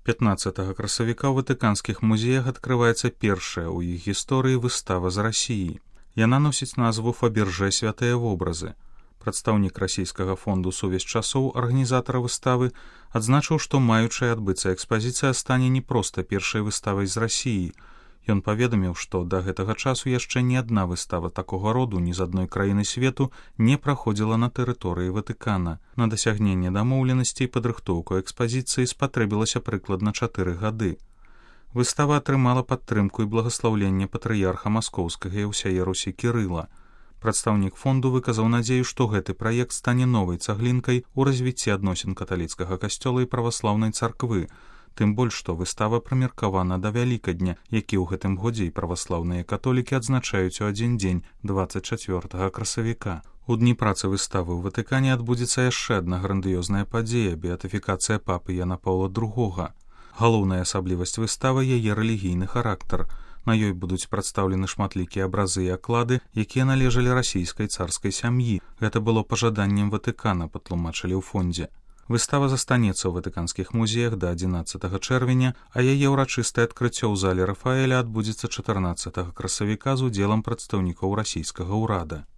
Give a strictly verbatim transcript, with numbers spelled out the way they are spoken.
пятнаццатага красавіка ў ватыканскіх музеях адкрываецца першая ў іх гісторыі выстава з Расіі. Яна носіць назву «Фаберже святыя вобразы». Прадстаўнік расійскага фонду «Сувязь часоў», арганізатара выставы, адзначыў, што маючая адбыцца экспазіцыя стане не проста першай выставай з Расіі. Ён паведаміў, што да гэтага часу яшчэ ні адна выстава такога роду ні з адной краіны свету не праходзіла на тэрыторыі Ватыкана. На дасягненне дамоўленасцей падрыхтоўку экспазіцыі спатрэбілася прыкладна чатыры гады. Выстава атрымала падтрымку і благаслаўленне патрыярха маскоўскага і ўсяе Русі Кірыла. Прадстаўнік фонду выказаў надзею, што гэты праект стане новай цаглінкай у развіцці адносін каталіцкага касцёла і праваслаўнай царквы, тым больш, што выстава прымеркавана да Вялікадня, які ў гэтым годзе і праваслаўныя католікі адзначаюць у адзін дзень дваццаць чацвёртага красавіка. У дні працы выставы ў Ватыкане адбудзецца яшчэ адна грандыёзная падзея – беатыфікацыя папы Яна Паўла другога. Галоўная асаблівасць выставы – яе рэлігійны характар. На ёй будуць прадстаўлены шматлікія абразы і аклады, якія належалі расійскай царскай сям'і. Гэта было пажаданнем Ватыкана, патлумачылі ў фондзе. Выстава застанецца ў ватыканскіх музеях да адзінаццатага чэрвеня, а яе ўрачыстае адкрыццё ў зале Рафаэля адбудзецца чатырнаццатага красавіка з удзелам прадстаўнікоў расійскага ўрада.